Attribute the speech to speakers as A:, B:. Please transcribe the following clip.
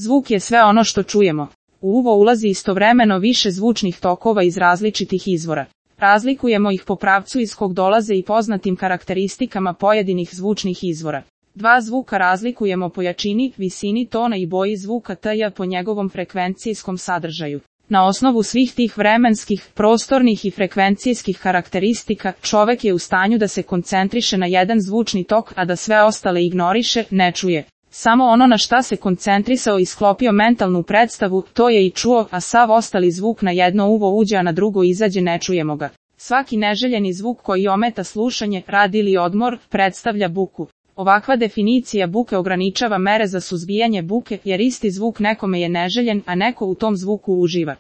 A: Zvuk je sve ono što čujemo. U uvo ulazi istovremeno više zvučnih tokova iz različitih izvora. Razlikujemo ih po pravcu iz kog dolaze i poznatim karakteristikama pojedinih zvučnih izvora. Dva zvuka razlikujemo po jačini, visini tona i boji zvuka t-ja po njegovom frekvencijskom sadržaju. Na osnovu svih tih vremenskih, prostornih i frekvencijskih karakteristika, čovek je u stanju da se koncentriše na jedan zvučni tok, a da sve ostale ignoriše, ne čuje. Samo ono na šta se koncentrisao i sklopio mentalnu predstavu, to je i čuo, a sav ostali zvuk na jedno uvo uđe, a na drugo izađe, ne čujemo ga. Svaki neželjeni zvuk koji ometa slušanje, rad ili odmor, predstavlja buku. Ovakva definicija buke ograničava mere za suzbijanje buke, jer isti zvuk nekome je neželjen, a neko u tom zvuku uživa.